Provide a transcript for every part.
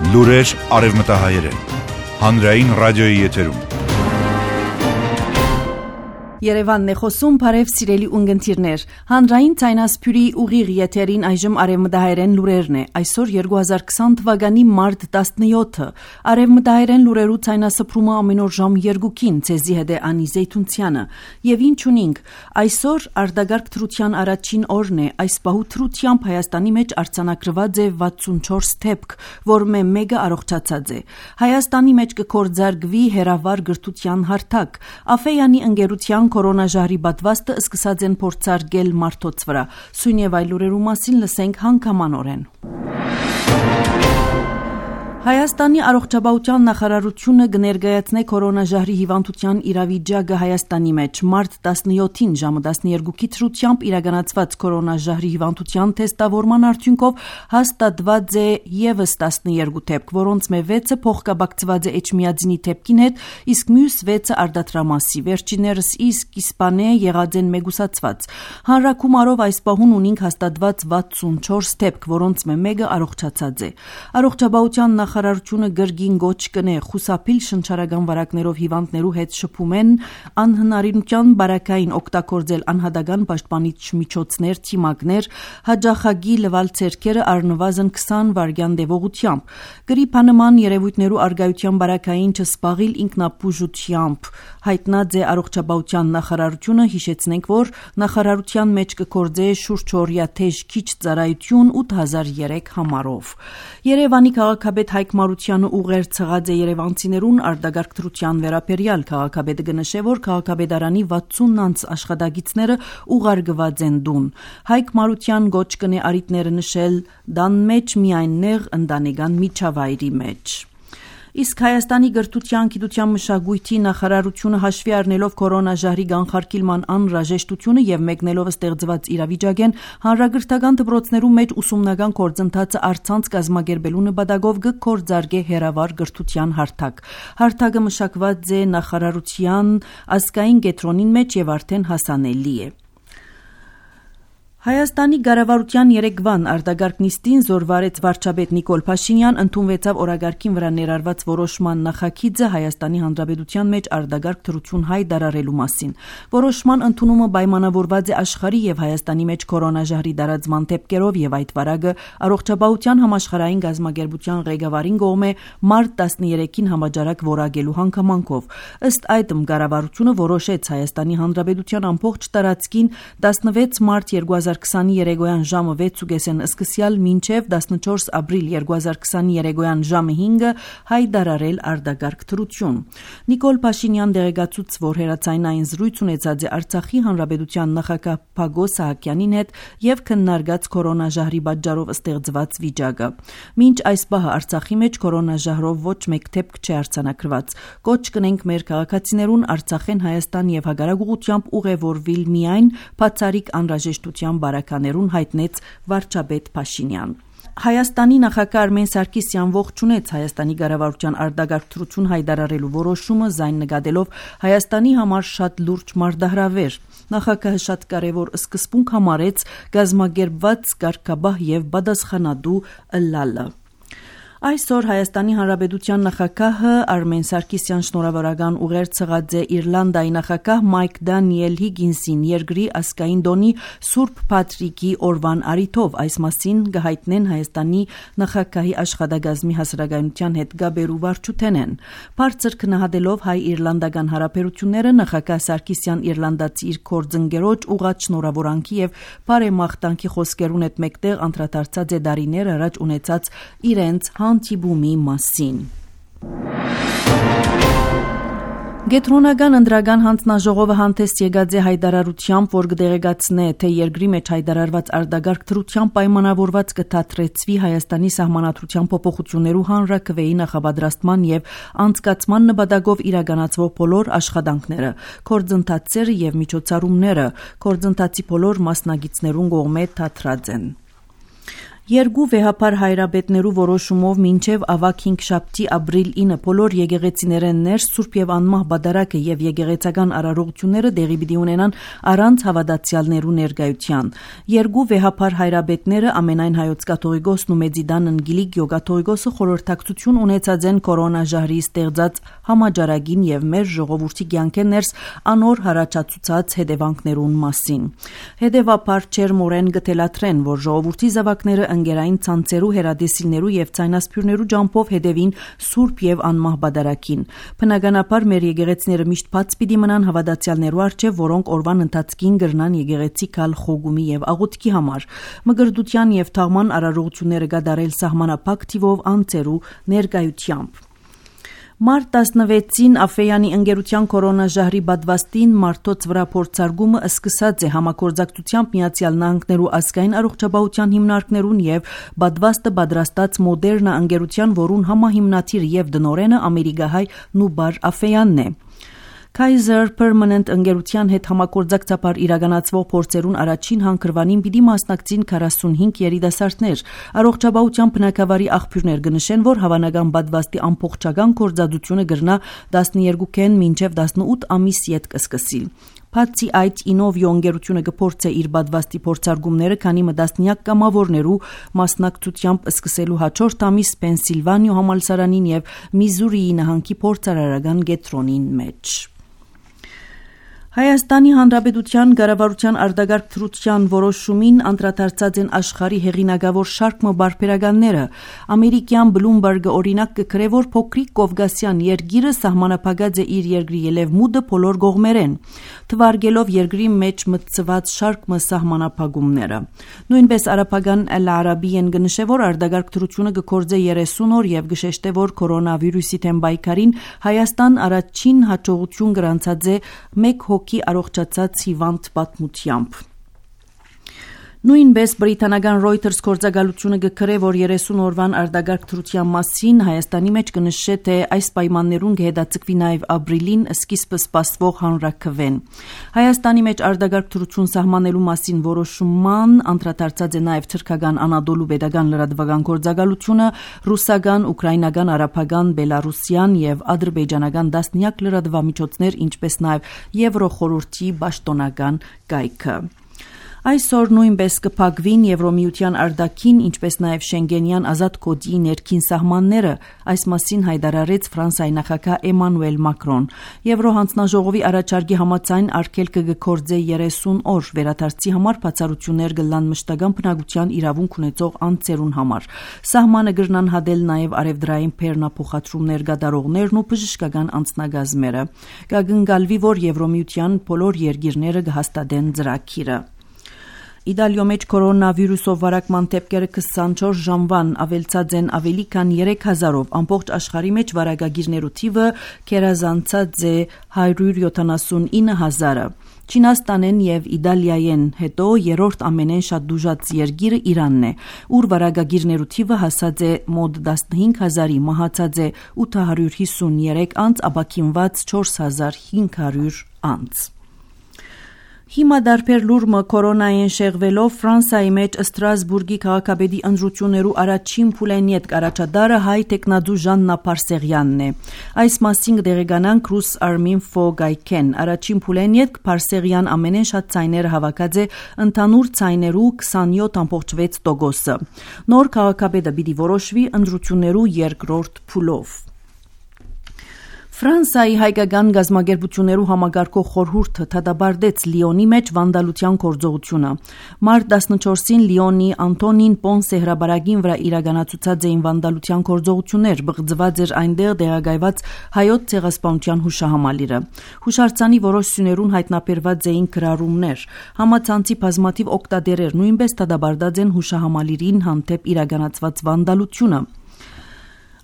Լուրեր արևմտահայերեն, հանրային ռադիոյի եթերում։ Երևանն է խոսում, բարև սիրելի ունգընտիրներ, հանրային ցայնասփյուրի ուղիղ եթերին այժմ արևմտահայերեն լուրերն է, այսօր 2020 թվականի մարտ 17-ը, արևմտահայերեն լուրերու ցայնասփրումը ամեն օր ժամ 2-ին, ցեզի հետ է Անի Զեյթունցյանը, եւ ինչ ունենք, այսօր արտագարգ թրության առաջին օրն է, այս պահու թրությամբ Հայաստանի մեջ արձանագրված է 64 դեպք, որը մեկը առողջացած է, Հայաստանի մեջ կկործարկվի հերավար գրթության հարթակ, Աֆեյանի ընկերության կորոնաժահրի պատվաստը սկսած են փորձարկել մարդոց վրա։ Սույն եւ այլ լուրերու մասին լսենք հանգամանորեն։ Հայաստանի առողջապահության նախարարությունը կներկայացնե կորոնաժահրի հիվանդության իրավիճակը Հայաստանի մեջ մարտ 17-ին ժամը 12-ի թրությամբ իրականացված կորոնաժահրի հիվանդության թեստավորման արդյունքով հաստատված է եւս 12 դեպք, որոնց 6-ը փոխկապակցված է էչմիածինի դեպքին հետ, իսկ մյուս 6-ը արդատրամասի, վերջիններս իսկ իսպանե եղած են մեգուսացված։ Հանրակումարով այս պահուն ունենք հաստատված 64 դեպք, որոնց 1-ը առողջացած է։ Առողջապահության նախարարությունը գրգին գոչ կնե խուսափիլ շնչարական վարակներով հիվանդներու հետ շփում են անհնարինության բարակային օգտագործել անհատական պաշտպանիչ միջոցներ, թիմակներ, հաջախագի լվալ ցերքերը առնվազն 20 վայրկյան տևողությամբ, գրիպանման երևույթներու արգայության բարակային չսպաղիլ ինքնապուժությամբ, հայտնած է առողջապահության նախարարությունը, հիշեցնենք, որ նախարարության մեջ կգործե շուրջօրյա թեժ քիչ ծառայություն 8003 համարով։ Երևանի քաղաքապետ Հայկ Մարությանը ուղեր ցղած է երևանցիներուն արտագարգ թրության վերաբերյալ, քաղաքապետը կնշե, որ քաղաքապետարանի 60 անց աշխատագիցները ուղարկված են դուն։ Հայկ Մարության գոչ կնե արիտները նշել դան մեջ միայն նեղ ընտանեկան միջավայրի մեջ։ Իսկ Հայաստանի գրթության, գիտության, մշակույթի նախարարությունը հաշվի առնելով կորոնաժահրի կանխարգելման անհրաժեշտությունը եւ մեկնելով ստեղծված իրավիճակեն հանրագրթական դպրոցներու մեջ ուսումնական գործընթացը առցանց կազմակերպելու նպատակով կգործարկե հերավար գրթության հարթակ։ Հարթակը մշակված է նախարարության ազգային կենտրոնին մեջ եւ արդեն հասանելի է։ Հայաստանի կառավարության երեկվան արտագարգ նիստին զորվարեց վարչապետ Նիկոլ Փաշինյան, ընդունվեցավ օրագարկին վրա ներառված որոշման նախագիծը Հայաստանի Հանրապետության մեջ արտագարգ թրություն հայտարարելու մասին։ Որոշման ընդունումը պայմանավորված է աշխարհի եւ Հայաստանի մեջ կորոնաժահրի տարածման դեպքերով եւ այդ վարակը առողջապահության համաշխարհային գազམ་ագերբության ղեկավարին կողմէ մարտ 13-ին համաճարակ որակելու հանգամանքով։ Ըստ այդմ կառավարությունը որոշեց Հայաստանի Հանրապետության ամբողջ տարածքին 16 մարտ 2020 երեկոյան ժամը 6:30-ին սկսյալ մինչև 14 ապրիլ 2020 երեկոյան ժամը 5-ը հայտարարել արտագարգ թրություն։ Նիկոլ Փաշինյան դեղեկացուց, որ հերացայնային զրույց ունեցած է Արցախի Հանրապետության նախագահ Փագոս Սահակյանին հետ եւ քննարկած կորոնաժահրի պատճառով ստեղծված վիճակը։ Մինչ այս պահը Արցախի մեջ կորոնաժահրով ոչ մեկ դեպք չի արձանագրված։ Կոչ կնենք մեր քաղաքացիներուն Արցախեն Հայաստան եւ հակառակ ուղղությամբ ուղևորվել միայն բացառիկ անհրաժեշտության բարականերուն հայտնեց վարչապետ Փաշինյան։ Հայաստանի նախագահ Արմեն Սարգսյան ողջունեց Հայաստանի կառավարության արտագարգ թրություն հայտարարելու որոշումը, զայն նկատելով Հայաստանի համար շատ լուրջ մարտահրավեր։ Նախագահը շատ կարևոր սկզբունք համարեց գազམ་ագերբված կարգաբահ եւ պատասխանատու ըլլալը։ Այսօր Հայաստանի Հանրապետության նախագահը Արմեն Սարգսյան շնորհավորական ուղեր ցղած է Իռլանդիայի նախագահ Մայք Դանիել Հիգինսին երկրի ազգային տոնի Սուրբ Պատրիկի օրվան առիթով, այս մասին կհայտնեն Հայաստանի նախագահի աշխատակազմի հասարակայնության հետ գաբերու վարչութենեն։ Բարձր քննադելով հայ-իռլանդական հարաբերությունները նախագահ Սարգսյան իռլանդացի իր գործընկերոջ ուղղած շնորհավորանքի եւ բարեմաղթանքի խոսքերուն հետ մեկտեղ անդրադարձած է դարիներ առաջ ունեցած իրենց հանդիպումի մասին։ Գետրոնական ընդրական հանձնաժողովը հանդես եկած է հայտարարությամբ, որ կդեղեկացնե, թե երկրի մեջ հայտարարված արտագարգ թրությամբ պայմանավորված կդադրեցվի Հայաստանի սահմանադրության փոփոխություններու հանրաքվեի նախապատրաստման եւ անցկացման նպատակով իրականացվող բոլոր աշխատանքները, գործընթացները եւ միջոցառումները, գործընթացի բոլոր մասնագետներուն կողմէ դադրած են։ Երկու վեհապար հայրաբետներու որոշումով մինչև ավագ 5 ապրիլ 9 բոլոր եկեղեցիներեն ներս Սուրբ եւ Անմահ Բադարակը եւ եկեղեցական արարողությունները դեղի պիտի ունենան առանց հավատացյալներու ներկայության։ Երկու վեհապար հայրաբետները ամենայն հայոց կաթողիկոսն ու Մեծիդան Անգելիկ Գյոգաթողիկոսը խորհրդակցություն ունեցած են կորոնաժահրի ստեղծած համաճարակին եւ մեր ժողովրդի կյանքեն ներս անոր հարաճացուցած հետևանքներուն մասին։ Հետևաբար չերմորեն գտելաթրեն, որ ժողովրդի զավակները ընկերային ցանցերու հերադեսիլներու եւ ցայնասփյուրներու ջամփով հետևին Սուրբ եւ Անմահ Բադարակին։ Բնականաբար մեր եկեղեցիները միշտ բաց պիտի մնան հավատացյալներու առջև, որոնք օրվան ընթացքին գրնան եկեղեցի կալ խոգումի եւ աղոթքի համար։ Մգրդության եւ թաղման արարողությունները կատարել սահմանափակ թիվով անձերու ներկայությամբ։ Մարտ 16-ին Աֆեյանի ընկերության կորոնաժահրի բադվաստին մարդոց վրա փորձարկումը սկսած է համագործակցությամբ Միացյալ Նահանգներու ազգային առողջապահության հիմնարկներուն եւ բադվաստը պատրաստած Մոդերնա ընկերության, որուն համահիմնադիր եւ դնորենը ամերիկահայ Նուբար Աֆեյանն է։ Kaiser Permanent ընկերության հետ համագործակցաբար իրականացվող փորձերուն առաջին հանգրվանին պիտի մասնակցին 45 երիտասարդներ։ Առողջապահության բնակավարի աղբյուրներ կնշեն, որ հավանական բադվաստի ամբողջական գործադրությունը կգրնա 12-ին մինչև 18 ամիս յետ կսկսի։ Բացի այդ, Ինովիո ընկերությունը կփորձե իր բադվաստի փորձարկումները, քանի մը տասնյակ կամավորներու մասնակցությամբ սկսելու հաջորդ ամիս Պենսիլվանիա համալսարանին եւ Միզուրիի նահանգի փորձարարական կենտրոնին մեջ։ Հայաստանի Հանրապետության կառավարության արտագաղթ թրության որոշումին անդրադարձած են աշխարհի հեղինակավոր շարք բարբերականները։ Ամերիկյան Bloomberg-ը օրինակ կգրե, որ փոքրիկ Կովկասյան երկիրը սահմանափակած է իր երկրի ելևմուտը բոլոր կողմերեն, թվարկելով երկրի մեջ մտցված շարք սահմանափակումները։ Նույնպես արաբական Al-Arabiyan կնշե, որ արտագաղթ թրությունը կգործե 30 օր եւ կշեշտե, որ կորոնավիրուսի դեմ պայքարին Հայաստան առաջին հաջողություն գրանցած է 1 հոգի առողջացած հիվանդ պատմությամբ։ Նույնպես բրիտանական Reuters գործակալությունը կգրե, որ 30 օրվան արտագաղթ թրության մասին Հայաստանի մեջ կնշե, թե այս պայմաններուն կհետաձգվի նաև ապրիլին սկիզբը սպասվող հանրաքվեն։ Հայաստանի մեջ արտագաղթ թրություն սահմանելու մասին որոշման անդրադարձած է նաև թրքական Անադոլու պետական լրատվական գործակալությունը, ռուսական, ուկրաինական, արաբական, բելարուսյան եւ ադրբեջանական տասնյակ լրատվամիջոցներ, ինչպես նաև Եվրոխորհրդի պաշտոնական կայքը։ Այսօր նույնպես կփակվին Եվրոմիության արտաքին, ինչպես նաև Շենգենյան ազատ կոդի ներքին սահմանները, այս մասին հայտարարեց Ֆրանսիայի նախագահ Էմանուել Մակրոն։ Եվրոհանձնաժողովի առաջարկի համաձայն արգելքը կգործե 30 օր, վերադարձի համար բացառություններ կլան մշտական բնակության իրավունք ունեցող անձերուն համար։ Սահմանը կգրնան հատել նաև արևդրային բեռնափոխադրումներ կատարողներն ու բժշկական անձնակազմերը։ Կգնկալվի, որ Եվրոմիության բոլոր երկիրները կհաստատեն ծրագիրը։ Իտալիո մեջ կորոնավիրուսով վարակման դեպքերը 24 ժամվան ավելցած են ավելի քան 3000-ով, ամբողջ աշխարհի մեջ վարակագիրներու թիվը կերազանցած է 179,000-ը։ Չինաստանեն եւ Իտալիայեն հետո երրորդ ամենեն շատ դուժած երկիրը Իրանն է, ուր վարակագիրներու թիվը հասած է մոտ 15000-ի, մահացած է 853 անձ, ապաքինված 4500 անձ։ Հիմա դարբեր լուրմը կորոնային շեղվելով Ֆրանսիայի մեջ Ստրասբուրգի քաղաքապետի ընտրություններու առաջին փուլենիետ կառաջադարը հայ տեխնադու Ժաննա Պարսեղյանն է։ Այս մասին կդեղեկանանք Rus Arminfo Gaiken։ Առաջին փուլենիետ Պարսեղյան ամենեն շատ ցայները հավաքած է ընդհանուր ցայներու 27.6%-ը։ Նոր քաղաքապետը պիտի որոշվի ընտրություններու երկրորդ փուլով։ Ֆրանսիայի հայկական գազագերբություններու համագարկող խորհուրդը դատապարտեց Լիոնի մեջ վանդալության գործողությունը։ Մարտ 14-ին Լիոնի Անտոնին Պոնսե հրաբարագին վրա իրականացուցած էին վանդալության գործողություններ, բղձված էր այնտեղ տեղակայված հայոց ցեղասպանության հուշահամալիրը։ Հուշարձանի որոշ սյուներուն հայտնաբերված էին գրառումներ։ Համացանցի բազմաթիվ օգտատերեր նույնպես դատապարտած են հուշահամալիրին հանդեպ իրականացված վանդալությունը։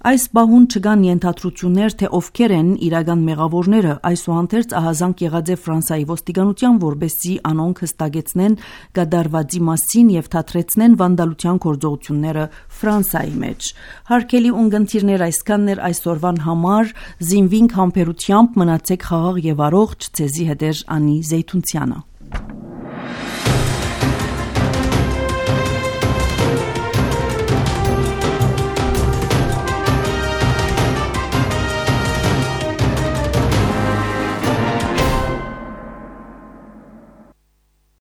Այս բահուն չկան ենթադրություններ, թե ովքեր են իրական մեղավորները, այսուհանդերձ ահազանգ եղած է Ֆրանսիայի ոստիկանության, որպեսզի անոնք հստակեցնեն կատարվածի մասին եւ թատրեցնեն վանդալության գործողությունները Ֆրանսիայի մեջ։ Հարգելի ունկնդիրներ, այսքանն էր այսօրվան համար, զինվինք համբերությամբ, մնացեք խաղաղ եւ առողջ, ցեզի հետ էր Անի Զեյթունցյանը։